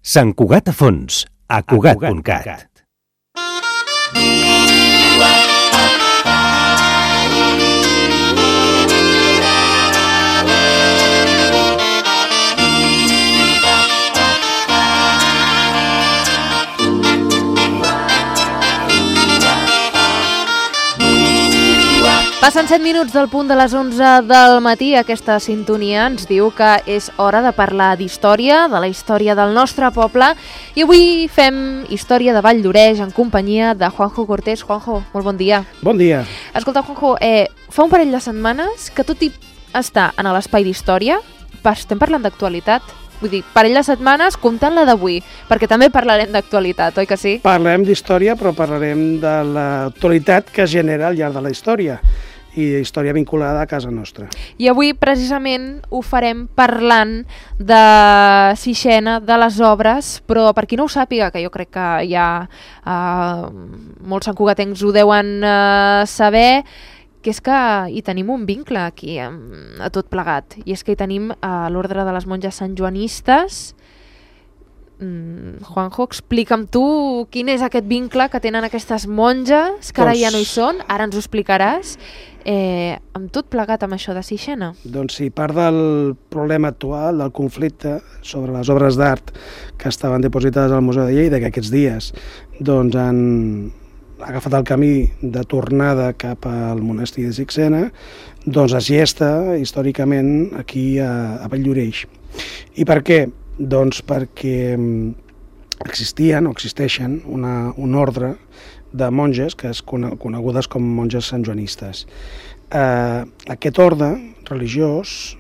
Sant Cugat a fons, a Cugat.cat. Passen 7 minuts del punt de les 11 del matí. Aquesta sintonia ens diu que és hora de parlar d'història, de la història del nostre poble. I avui fem història de Vall d'Oreix en companyia de Juanjo Cortés. Juanjo, molt bon dia. Bon dia. Escolta, Juanjo, fa un parell de setmanes que tot i estar en l'espai d'història, estem parlant d'actualitat. Vull dir, parell de setmanes comptant la d'avui, perquè també parlarem d'actualitat, oi que sí? Parlarem d'història, però parlarem de l'actualitat que es genera al llarg de la història i història vinculada a casa nostra. I avui, precisament, ho farem parlant de Sixena, de les obres, però per qui no ho sàpiga, que jo crec que ja molts santcugatencs ho deuen saber, que és que hi tenim un vincle aquí a tot plegat, i és que hi tenim l'ordre de les monges santjoanistes. Juanjo, explica'm tu quin és aquest vincle que tenen aquestes monges, que ara ja no hi són, ara ens ho explicaràs, amb tot plegat amb això de Sixena. Doncs sí, part del problema actual, del conflicte sobre les obres d'art que estaven depositades al Museu de Lleida, que aquests dies doncs, han agafat el camí de tornada cap al monestir de Sixena, doncs es gesta històricament aquí a Vall d'Oreix. I per què? Doncs perquè existien o existeixen un ordre de monges que és conegudes com monges santjoanistes. Aquest ordre religiós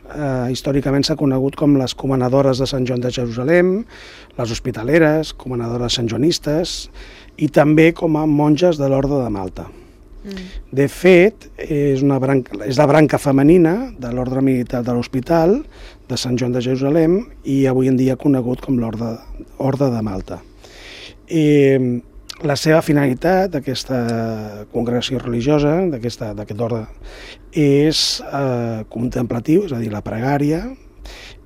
històricament s'ha conegut com les comanadores de Sant Joan de Jerusalem, les hospitaleres, comanadores santjoanistes i també com a monges de l'Orde de Malta. De fet, és la branca femenina de l'ordre militar de l'Hospital de Sant Joan de Jerusalem i avui en dia conegut com l'Orde de Malta. La seva finalitat d'aquesta congregació religiosa, d'aquest ordre, és contemplatiu, és a dir, la pregària,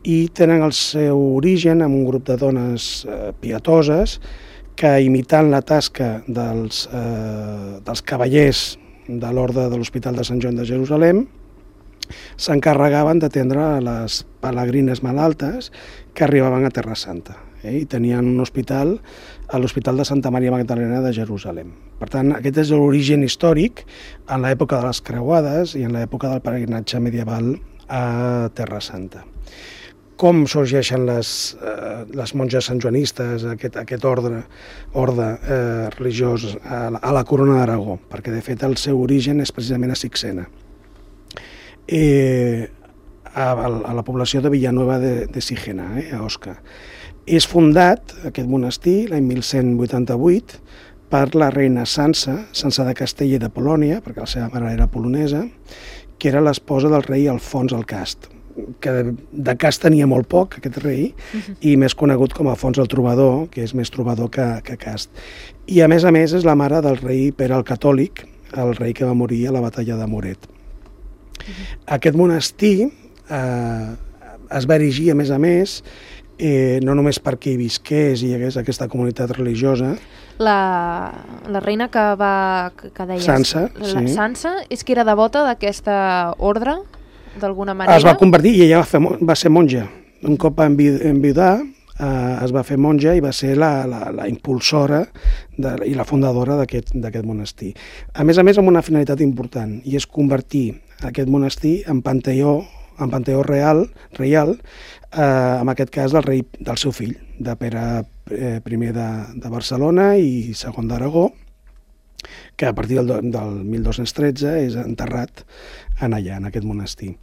i tenen el seu origen en un grup de dones pietoses que, imitant la tasca dels cavallers de l'Orde de l'Hospital de Sant Joan de Jerusalem, s'encarregaven d'atendre les pelegrines malaltes que arribaven a Terra Santa. I tenien un hospital a l'Hospital de Santa Maria Magdalena de Jerusalem. Per tant, aquest és l'origen històric en l'època de les creuades i en l'època del pelegrinatge medieval a Terra Santa. Com sorgeixen les monges santjoanistes, aquest ordre religiós a la Corona d'Aragó? Perquè, de fet, el seu origen és precisament a Sixena, a la població de Villanueva de Sigena, a Osca. És fundat, aquest monestir, l'any 1188, per la reina Sança de Castella i de Polònia, perquè la seva mare era polonesa, que era l'esposa del rei Alfons el Cast, que de Cast tenia molt poc, aquest rei, i més conegut com Alfons el Trobador, que és més trobador que Cast. I a més és la mare del rei Pere el Catòlic, el rei que va morir a la batalla de Moret. Aquest monestir es va erigir, a més, no només perquè hi visqués i hi hagués aquesta comunitat religiosa. La reina que deies, Sança, la Sança, és que era devota d'aquesta ordre, d'alguna manera? Es va convertir i ella va ser monja. Un cop va enviudar, es va fer monja i va ser la impulsora i la fundadora d'aquest monestir. A més, amb una finalitat important, i és convertir aquest monestir en panteó reial, en aquest cas del seu fill, de Pere I de Barcelona i segon d'Aragó, que a partir del 1213 és enterrat allà, en aquest monestir.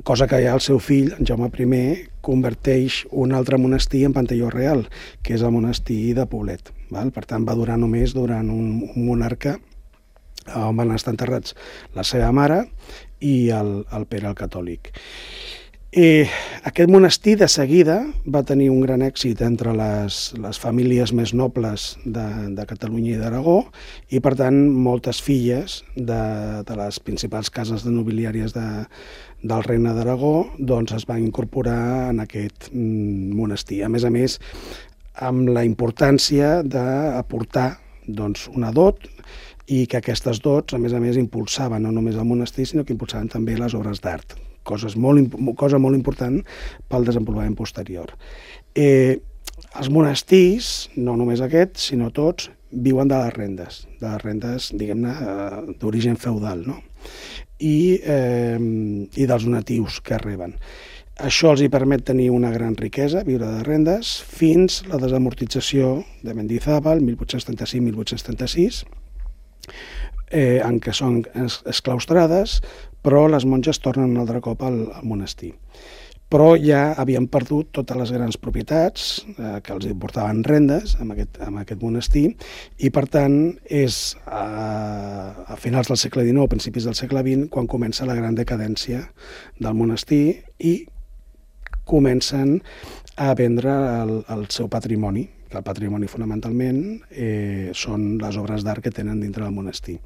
Cosa que ja el seu fill, en Jaume I, converteix un altre monestir en panteó real, que és el monestir de Poblet. Per tant, va durar només durant un monarca on van estar enterrats la seva mare i el Pere el Catòlic. Aquest monestir de seguida va tenir un gran èxit entre les famílies més nobles de Catalunya i d'Aragó i, per tant, moltes filles de les principals cases nobiliàries del Regne d'Aragó doncs es van incorporar en aquest monestir. A més, amb la importància d'aportar doncs, una dot i que aquestes dots, a més, impulsaven no només el monestir, sinó que impulsaven també les obres d'art, cosa molt important pel desenvolupament posterior. Els monestirs, no només aquests, sinó tots, viuen de les rendes, diguem-ne, d'origen feudal, no? I dels donatius que reben. Això els hi permet tenir una gran riquesa, viure de rendes, fins la desamortització de Mendizábal, 1835-1836, en què són exclaustrades, però les monges tornen un altre cop al monestir. Però ja havien perdut totes les grans propietats que els portaven rendes en aquest monestir, i per tant és a finals del segle XIX, principis del segle XX, quan comença la gran decadència del monestir i comencen a vendre el seu patrimoni, que el patrimoni fonamentalment són les obres d'art que tenen dintre del monestir.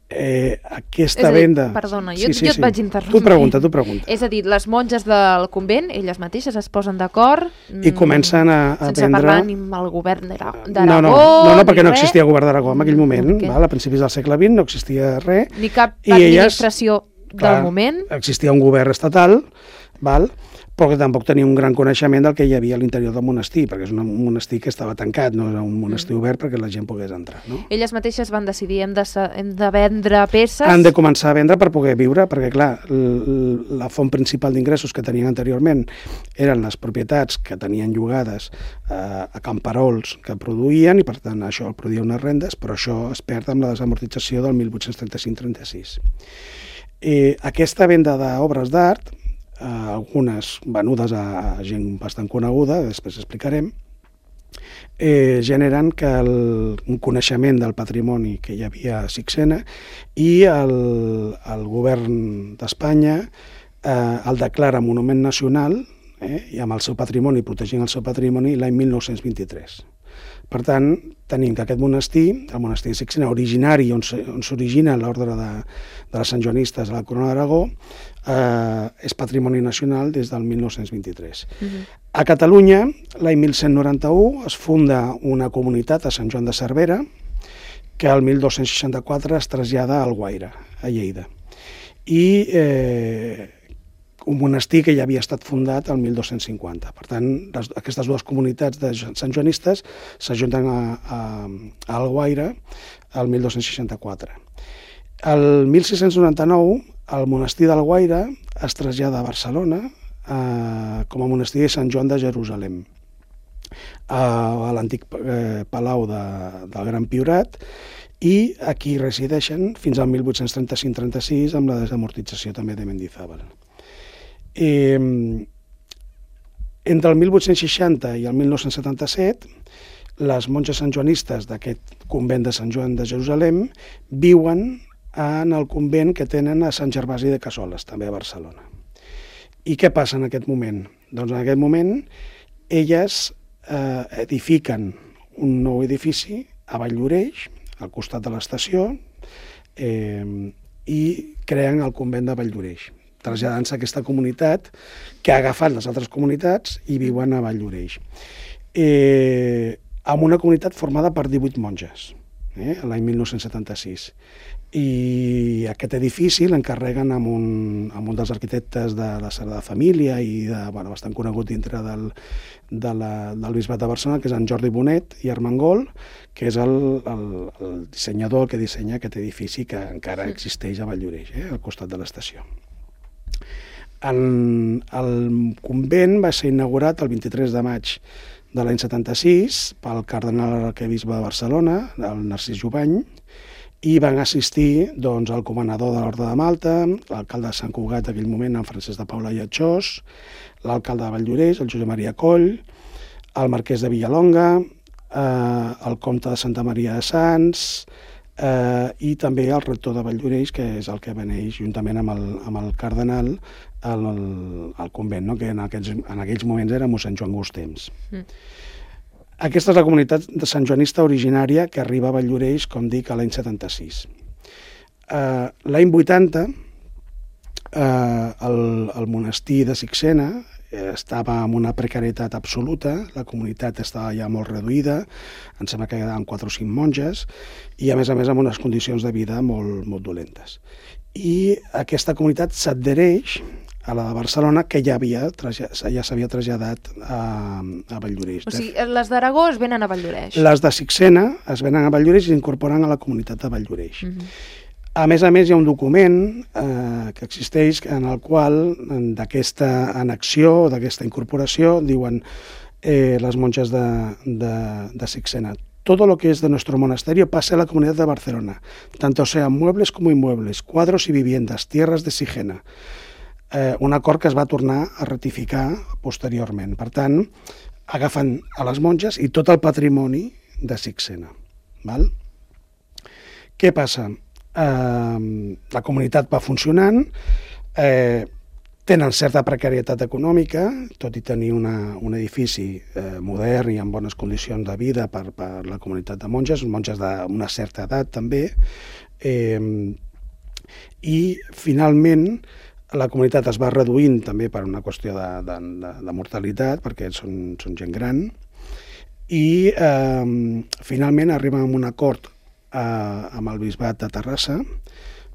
Aquesta venda... Perdona, jo et vaig interrompre. Tu pregunta. És a dir, les monges del convent, elles mateixes es posen d'acord i comencen a sense vendre... parlar ni amb el govern d'Aragó. No, perquè no existia govern d'Aragó en aquell moment. A principis del segle XX no existia res. Ni cap administració del moment. Existia un govern estatal, però que tampoc tenia un gran coneixement del que hi havia a l'interior del monestir, perquè és un monestir que estava tancat, no era un monestir obert perquè la gent pogués entrar. No? Elles mateixes van decidir hem de vendre peces? Han de començar a vendre per poder viure, perquè clar, la font principal d'ingressos que tenien anteriorment eren les propietats que tenien llogades a camperols que produïen, i per tant això produïa unes rendes, però això es perd amb la desamortització del 1835-36. Aquesta venda d'obres d'art, algunes venudes a gent bastant coneguda, després explicarem, generen que un coneixement del patrimoni que hi havia a Sixena, i el govern d'Espanya el declara monument nacional, i amb el seu patrimoni, protegint el seu patrimoni, l'any 1923. Per tant, tenim que aquest monestir, el monestir de Sixena, originari, on s'origina l'ordre de les santjoanistes a la Corona d'Aragó, és patrimoni nacional des del 1923. A Catalunya, l'any 1191, es funda una comunitat a Sant Joan de Cervera, que el 1264 es trasllada a Alguaire, a Lleida. I un monestir que ja havia estat fundat el 1250. Per tant, aquestes dues comunitats de santjoanistes s'ajunten a Alguaire el 1264. El 1699, el monestir d'Alguaire es trasllada a Barcelona com a monestir de Sant Joan de Jerusalem, a l'antic palau del Gran Priorat, i aquí resideixen fins al 1835-36 amb la desamortització també de Mendizábal. Entre el 1860 i el 1977, les monges santjoanistes d'aquest convent de Sant Joan de Jerusalem viuen en el convent que tenen a Sant Gervasi de Cassoles, també a Barcelona. I què passa en aquest moment? Doncs en aquest moment elles edifiquen un nou edifici a Valldoreix, al costat de l'estació, i creen el convent de Valldoreix, traslladant-se a aquesta comunitat que ha agafat les altres comunitats i viuen a Valldoreix. Amb una comunitat formada per 18 monges, l'any 1976. I aquest edifici l'encarreguen amb un dels arquitectes de la Sagrada Família i bastant conegut dintre del Bisbat de Barcelona, que és en Jordi Bonet i Armengol, que és el dissenyador que dissenya aquest edifici que encara existeix a Valldoreix, al costat de l'estació. El convent va ser inaugurat el 23 de maig de l'any 76 pel cardenal arquebisbe de Barcelona, el Narcís Jubany, i van assistir el comanador de l'Orde de Malta, l'alcalde de Sant Cugat d'aquell moment, en Francesc de Paula i Atxós, l'alcalde de Valldoreix, el Josep Maria Coll, el marquès de Villalonga, el comte de Santa Maria de Sants, i també el rector de Valldoreix, que és el que beneix juntament amb el cardenal al convent, que en aquells moments era mossèn Joan Gustems. Aquesta és la comunitat de santjoanista originària que arriba a Valldoreix, com dic, a l'any 76. L'any 80, el monestir de Sixena estava en una precarietat absoluta, la comunitat estava ja molt reduïda, em sembla que quedaven 4 o 5 monges, i a més amb unes condicions de vida molt dolentes. I aquesta comunitat s'adhereix a la de Barcelona, que ja s'havia traslladat a Valldoreix. O sigui, les d'Aragó es venen a Valldoreix. Les de Sixena es venen a Valldoreix i s'incorporen a la comunitat de Valldoreix. A més, hi ha un document que existeix en el qual, d'aquesta annexió, d'aquesta incorporació, diuen les monges de Sixena: todo lo que es de nuestro monasterio pasa a la comunidad de Barcelona, tanto sean muebles como inmuebles, cuadros y viviendas, tierras de Sigena. Un acord que es va tornar a ratificar posteriorment. Per tant, agafen a les monges i tot el patrimoni de Sixena. Val? Què passa? La comunitat va funcionant, tenen certa precarietat econòmica, tot i tenir un edifici modern i en bones condicions de vida per la comunitat de monges d'una certa edat també, i finalment la comunitat es va reduint també per una qüestió de mortalitat, perquè són gent gran, i finalment arriben a un acord amb el bisbat de Terrassa,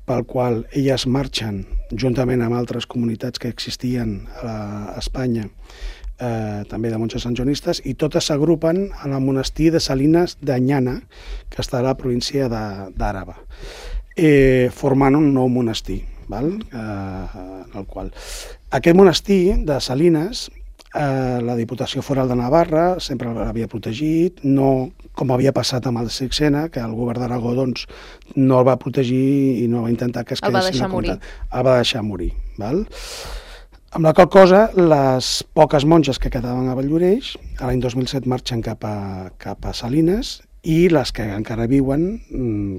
pel qual elles marxen, juntament amb altres comunitats que existien a Espanya, també de monges santjoanistes, i totes s'agrupen en el monestir de Salines d'Anyana, que està a la província d'Àraba, formant un nou monestir. Aquest monestir de Salines, la Diputació Foral de Navarra sempre l'havia protegit, no com havia passat amb el de Sixena, que el govern d'Aragó no el va protegir i no va intentar que es quedessin a compte. El va deixar morir. Amb la qual cosa, les poques monges que quedaven a Valldoreix, l'any 2007 marxen cap a Salines, i les que encara viuen,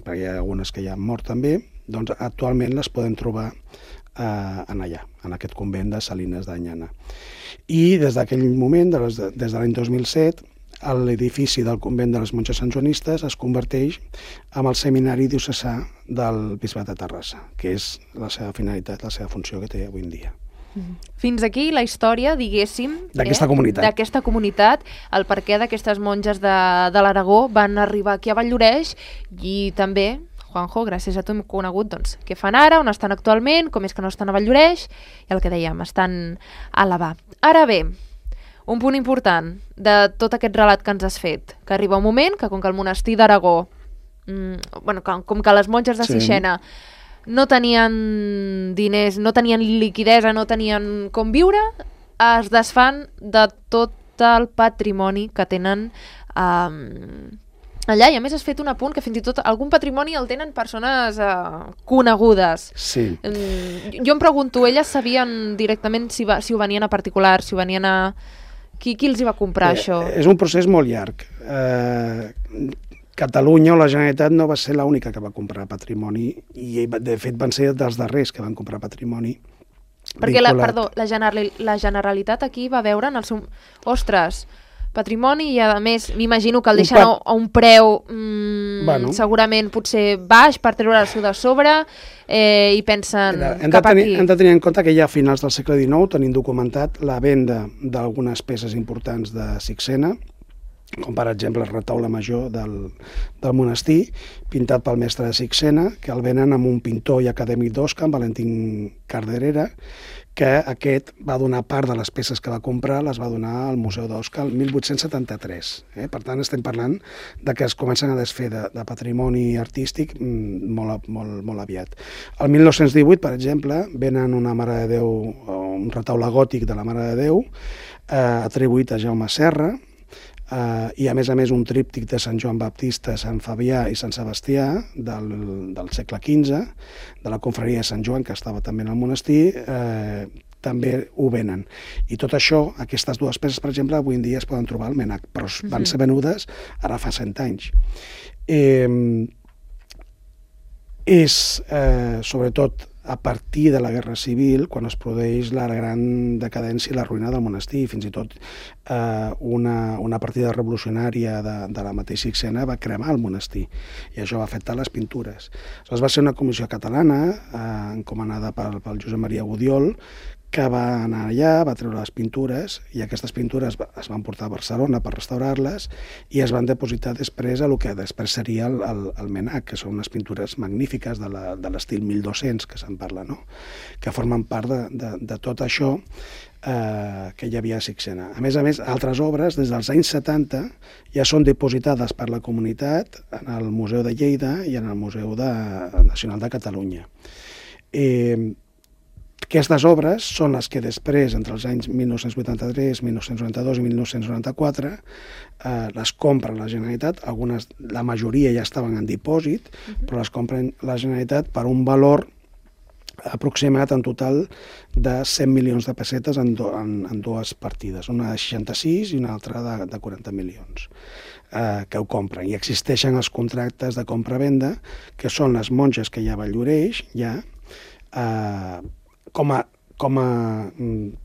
perquè hi ha algunes que ja han mort també, doncs actualment les podem trobar allà, en aquest convent de Salines d'Anyana. I des d'aquell moment, des de l'any 2007, l'edifici del convent de les monges santjoanistes es converteix en el seminari diocesà del bisbat de Terrassa, que és la seva finalitat, la seva funció que té avui en dia. Fins aquí la història, diguéssim, d'aquesta comunitat, el perquè d'aquestes monges de l'Aragó van arribar aquí a Valldoreix, i també, Juanjo, gràcies a tu hem conegut què fan ara, on estan actualment, com és que no estan a Valldoreix, i el que dèiem, estan a Àlaba. Ara bé, un punt important de tot aquest relat que ens has fet, que arriba un moment que com que el monestir d'Aragó, com que les monges de Sixena no tenien diners, no tenien liquidesa, no tenien com viure, es desfan de tot el patrimoni que tenen allà, i a més has fet un apunt que fins i tot algun patrimoni el tenen persones conegudes. Sí. Jo em pregunto, elles sabien directament si ho venien a particular, si ho venien a... Qui els hi va comprar això? És un procés molt llarg. Catalunya o la Generalitat no va ser l'única que va comprar patrimoni, i de fet van ser dels darrers que van comprar patrimoni. Perquè, la Generalitat aquí va veure en el seu... Ostres, patrimoni, i a més m'imagino que el deixen a un preu segurament potser baix per treure-s'ho de sobre, i pensen cap aquí. Hem de tenir en compte que ja a finals del segle XIX tenim documentat la venda d'algunes peces importants de Sixena, com per exemple el retaule major del monestir, pintat pel mestre de Sixena, que el venen amb un pintor i acadèmic d'Osca, en Valentín Carderera, que aquest va donar part de les peces que va comprar, les va donar al Museu d'Osca el 1873. Per tant, estem parlant de que es comencen a desfer de patrimoni artístic molt aviat. El 1918, per exemple, venen una Mare de Déu, un retaule gòtic de la Mare de Déu, atribuït a Jaume Serra, i a més un tríptic de Sant Joan Baptista, Sant Fabià i Sant Sebastià del segle XV, de la confraria de Sant Joan, que estava també en el monestir, també ho venen. I tot això, aquestes dues peces, per exemple, avui en dia es poden trobar al MNAC, però van ser venudes ara fa 100 anys. És, sobretot, a partir de la Guerra Civil, quan es produeix la gran decadència i la ruïna del monestir, fins i tot una partida revolucionària de la mateixa Sixena va cremar el monestir, i això va afectar les pintures. Aleshores va ser una comissió catalana, encomanada pel Josep Maria Gudiol, que va anar allà, va treure les pintures, i aquestes pintures es van portar a Barcelona per restaurar-les i es van depositar després a el que després seria el MNAC, que són unes pintures magnífiques de l'estil 1200 que se'n parla, no? Que formen part de tot això que hi havia a Sixena. A més, altres obres, des dels anys 70, ja són depositades per la comunitat en el Museu de Lleida i en el Museu Nacional de Catalunya. Aquestes obres són les que després, entre els anys 1983, 1992 i 1994, les compra la Generalitat. La majoria ja estaven en dipòsit, però les compra la Generalitat per un valor aproximat en total de 100 milions de pessetes en dues partides, una de 66 i una altra de 40 milions, que ho compren. I existeixen els contractes de compra-venda, que són les monges que hi ha a Valldoreix, ja, com a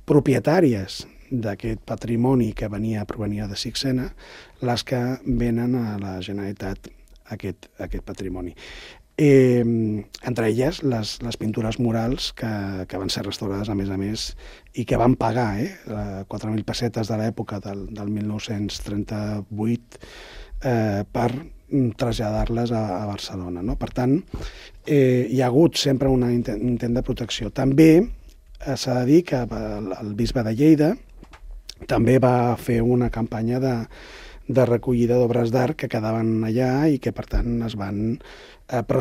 propietàries d'aquest patrimoni que provenia de Sixena, les que venen a la Generalitat aquest patrimoni. Entre elles les pintures murals que van ser restaurades a més i que van pagar 4.000 pessetes de l'època del 1938 per traslladar-les a Barcelona, no? Per tant, hi ha hagut sempre un intent de protecció. També s'ha de dir que el bisbe de Lleida també va fer una campanya de recollida d'obres d'art que quedaven allà i que, per tant, es van... Però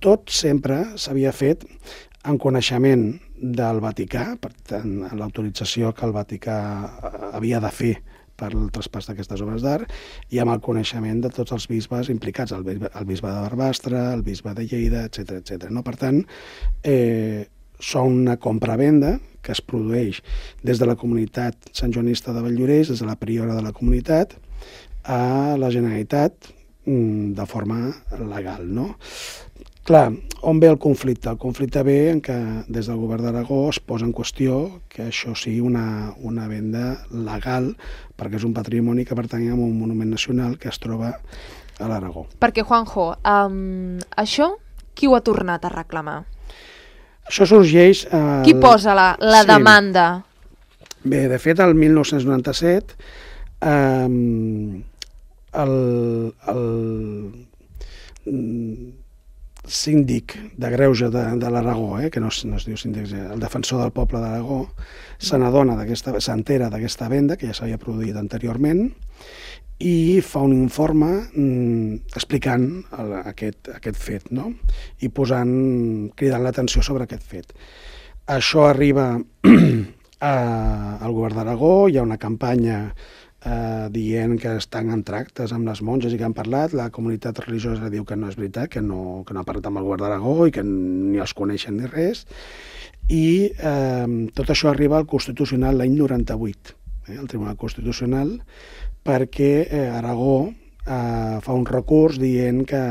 tot sempre s'havia fet en coneixement del Vaticà, per tant, l'autorització que el Vaticà havia de fer per al traspàs d'aquestes obres d'art i amb el coneixement de tots els bisbes implicats, el bisbe de Barbastre, el bisbe de Lleida, etc. No? Per tant, són una compra-venda que es produeix des de la comunitat santjoanista de Valldoreix, des de la priora de la comunitat, a la Generalitat de forma legal, no? Clar, on ve el conflicte? El conflicte ve en que des del govern d'Aragó es posa en qüestió que això sigui una venda legal, perquè és un patrimoni que pertany a un monument nacional que es troba a l'Aragó. Perquè, Juanjo, això qui ho ha tornat a reclamar? Això sorgeix... Qui posa la demanda? Bé, de fet, el 1997 el síndic de Greuge de l'Aragó, que no es diu síndic, el defensor del poble d'Aragó, s'entera d'aquesta venda, que ja s'havia produït anteriorment, i fa un informe explicant aquest fet, no? I cridant l'atenció sobre aquest fet. Això arriba al govern d'Aragó, hi ha una campanya dient que estan en tractes amb les monges i que han parlat. La comunitat religiosa diu que no és veritat, que no ha parlat amb el govern d'Aragó i que ni els coneixen ni res. I tot això arriba al Constitucional l'any 98, al Tribunal Constitucional, perquè Aragó fa un recurs dient que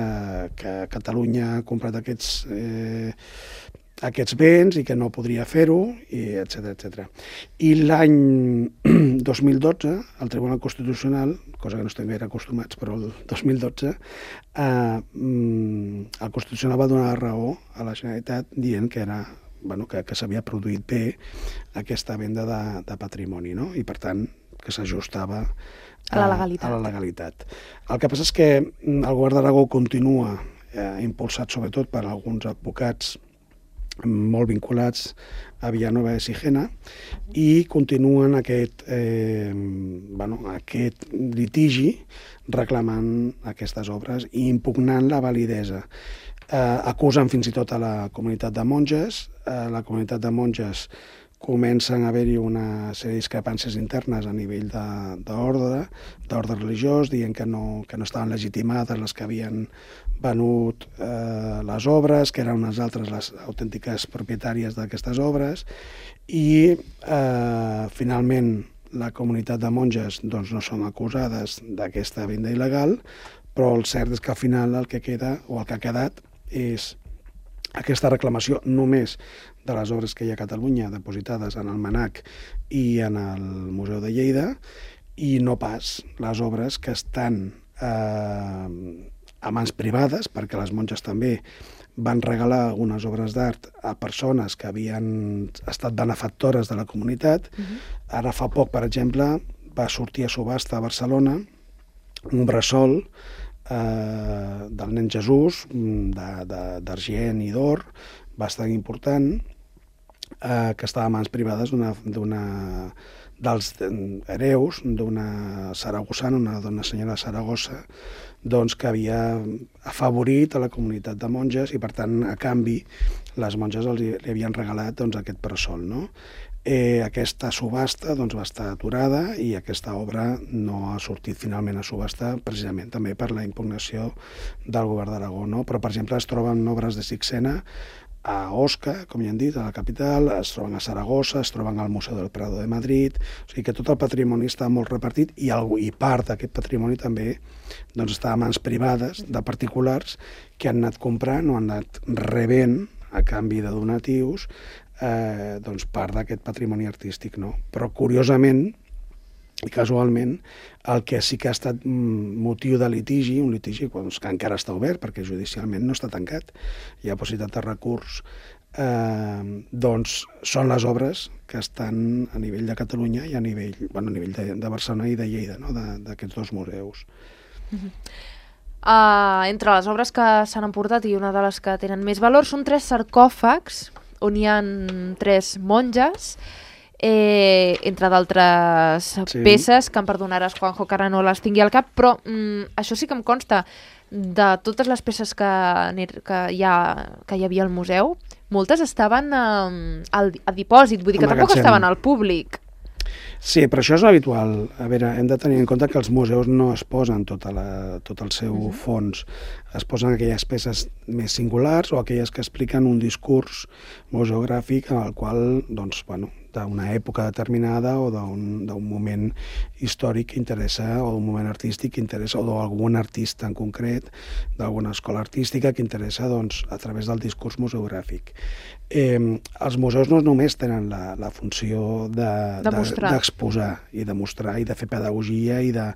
Catalunya ha comprat aquests béns i que no podria fer-ho, etc. I l'any 2012, el Tribunal Constitucional, cosa que no estem gaire acostumats, però el 2012, el Constitucional va donar la raó a la Generalitat dient que que s'havia produït bé aquesta venda de patrimoni, no? I per tant que s'ajustava a la legalitat. El que passa és que el govern d'Aragó continua impulsat sobretot per alguns advocats molt vinculats a Villanueva de Sigena i continuen aquest litigi reclamant aquestes obres i impugnant la validesa. Acusen fins i tot a la comunitat de monges. La comunitat de monges comencen a haver-hi una sèrie de discrepàncies internes a nivell d'ordre religiós, dient que no estaven legitimades les que havien venut les obres, que eren unes altres les autèntiques propietàries d'aquestes obres, i finalment la comunitat de monges no són acusades d'aquesta venda il·legal, però el cert és que al final el que ha quedat és aquesta reclamació només de les obres que hi ha a Catalunya depositades en el MNAC i en el Museu de Lleida, i no pas les obres que estan a mans privades, perquè les monges també van regalar algunes obres d'art a persones que havien estat benefactores de la comunitat. Ara fa poc, per exemple, va sortir a subhasta a Barcelona un bressol del nen Jesús, d'argent i d'or, bastant important, que estava a mans privades dels hereus d'una saragossana, una senyora de Saragossa, doncs, que havia afavorit a la comunitat de monges i, per tant, a canvi, les monges li havien regalat doncs, aquest bressol, no? Aquesta subhasta doncs, va estar aturada i aquesta obra no ha sortit finalment a subhasta, precisament també per la impugnació del govern d'Aragó, no? Però, per exemple, es troben obres de Sixena a Osca, com ja hem dit, a la capital, es troben a Saragossa, es troben al Museu del Prado de Madrid, o sigui que tot el patrimoni està molt repartit i part d'aquest patrimoni també doncs, està a mans privades de particulars que han anat comprant o han anat rebent a canvi de donatius doncs, part d'aquest patrimoni artístic, no? Però, curiosament i casualment, el que sí que ha estat motiu de litigi, un litigi doncs, que encara està obert perquè judicialment no està tancat, hi ha possibilitat de recurs, doncs són les obres que estan a nivell de Catalunya i a nivell de Barcelona i de Lleida, no? D'aquests dos museus. Entre les obres que s'han emportat i una de les que tenen més valor són 3 sarcòfags on hi ha 3 monges, entre d'altres peces que em perdonaràs, Juanjo, que ara no les tingui al cap, però això sí que em consta de totes les peces que hi havia al museu, moltes estaven a dipòsit, vull dir que tampoc estaven al públic. Sí, però això és habitual. A veure, hem de tenir en compte que els museus no es posen tot el seu fons. Es posen aquelles peces més singulars o aquelles que expliquen un discurs museogràfic en el qual, doncs, bueno, d'una època determinada o d'un moment històric que interessa, o d'un moment artístic que interessa, o d'algun artista en concret, d'alguna escola artística que interessa, doncs, a través del discurs museogràfic. Els museus no només tenen la funció d'exposar i de mostrar i de fer pedagogia i de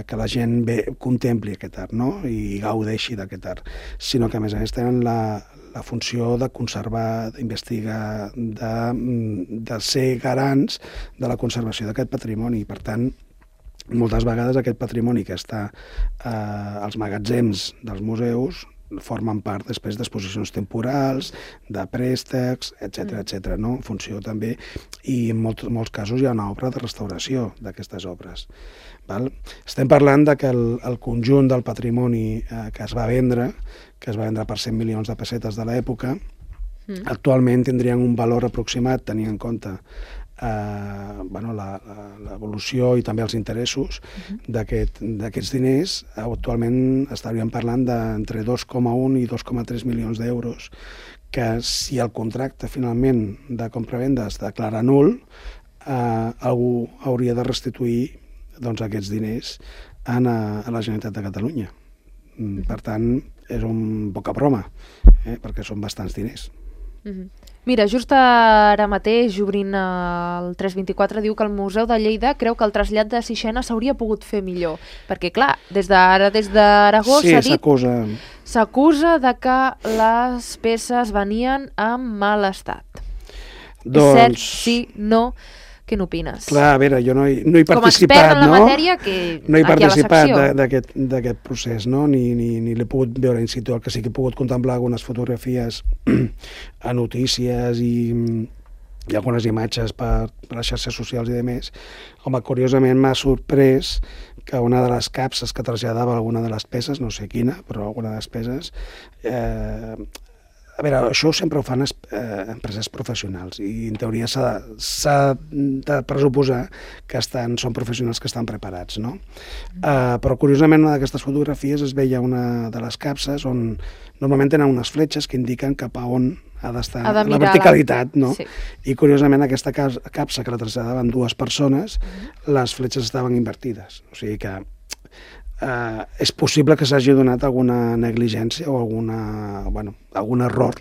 que la gent contempli aquest art, no? I gaudeixi d'aquest art, sinó que a més tenen la funció de conservar, d'investigar, de ser garants de la conservació d'aquest patrimoni. Per tant, moltes vegades aquest patrimoni que està als magatzems dels museus formen part després d'exposicions temporals, de préstecs, etc., no? En funció també, i en molts casos hi ha una obra de restauració d'aquestes obres. Estem parlant que el conjunt del patrimoni que es va vendre per 100 milions de pessetes de l'època, actualment tindrien un valor aproximat, tenint en compte l'evolució i també els interessos d'aquests diners. Actualment estaríem parlant d'entre 2,1 i 2,3 milions d'euros, que si el contracte finalment de compra-venda es declara nul, algú hauria de restituir aquests diners a la Generalitat de Catalunya. Per tant, és un poca broma, perquè són bastants diners. Mira, just ara mateix, obrint el 324, diu que el Museu de Lleida creu que el trasllat de Sixena s'hauria pogut fer millor. Perquè, clar, des d'Aragó s'ha dit... S'acusa de que les peces venien en mal estat. És cert? Sí? No? Què n'opines? Clar, a veure, jo no he participat, com a expert en la matèria, no he participat d'aquest procés, no? Ni l'he pogut veure in situ. El que sí que he pogut contemplar algunes fotografies a notícies i algunes imatges per les xarxes socials i demés. Home, curiosament m'ha sorprès que una de les capses que traslladava alguna de les peces, no sé quina, però alguna de les peces... A veure, això sempre ho fan empreses professionals i en teoria s'ha de pressuposar que són professionals que estan preparats, no? Però curiosament una d'aquestes fotografies es veia una de les capses on normalment tenen unes fletxes que indiquen cap a on ha d'estar la verticalitat, no? Sí. I curiosament aquesta capsa que la traslladaven 2 persones, les fletxes estaven invertides, o sigui que és possible que s'hagi donat alguna negligència o algun error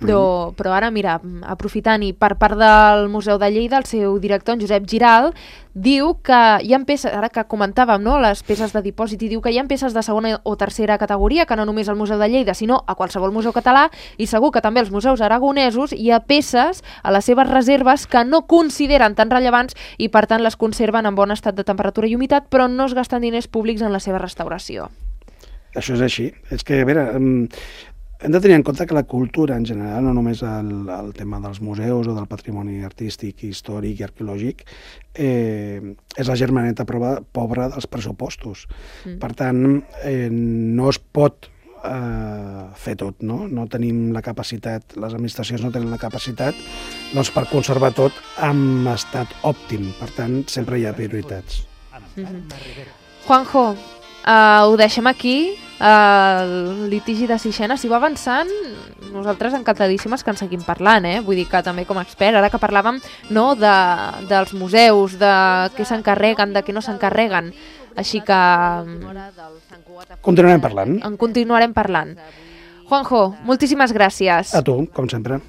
Però ara, mira, aprofitant, i per part del Museu de Lleida, el seu director, en Josep Giral, diu que hi ha peces, ara que comentàvem, no?, les peces de dipòsit, i diu que hi ha peces de segona o tercera categoria, que no només al Museu de Lleida, sinó a qualsevol museu català, i segur que també als museus aragonesos hi ha peces a les seves reserves que no consideren tan rellevants i per tant les conserven en bon estat de temperatura i humitat, però no es gasten diners públics en la seva restauració. Això és així. És que, a veure, hem de tenir en compte que la cultura en general, no només el tema dels museus o del patrimoni artístic, històric i arqueològic, és la germaneta pobra dels pressupostos. Per tant, no es pot fer tot, no? No tenim la capacitat, les administracions no tenen la capacitat doncs, per conservar tot en estat òptim. Per tant, sempre hi ha prioritats. Juanjo, ho deixem aquí. El litigi de Sixena, si va avançant, nosaltres encantadíssimes que en seguim parlant, vull dir que també com a expert, ara que parlàvem dels museus, de què s'encarreguen, de què no s'encarreguen, així que continuarem parlant. En continuarem parlant. Juanjo, moltíssimes gràcies. A tu, com sempre.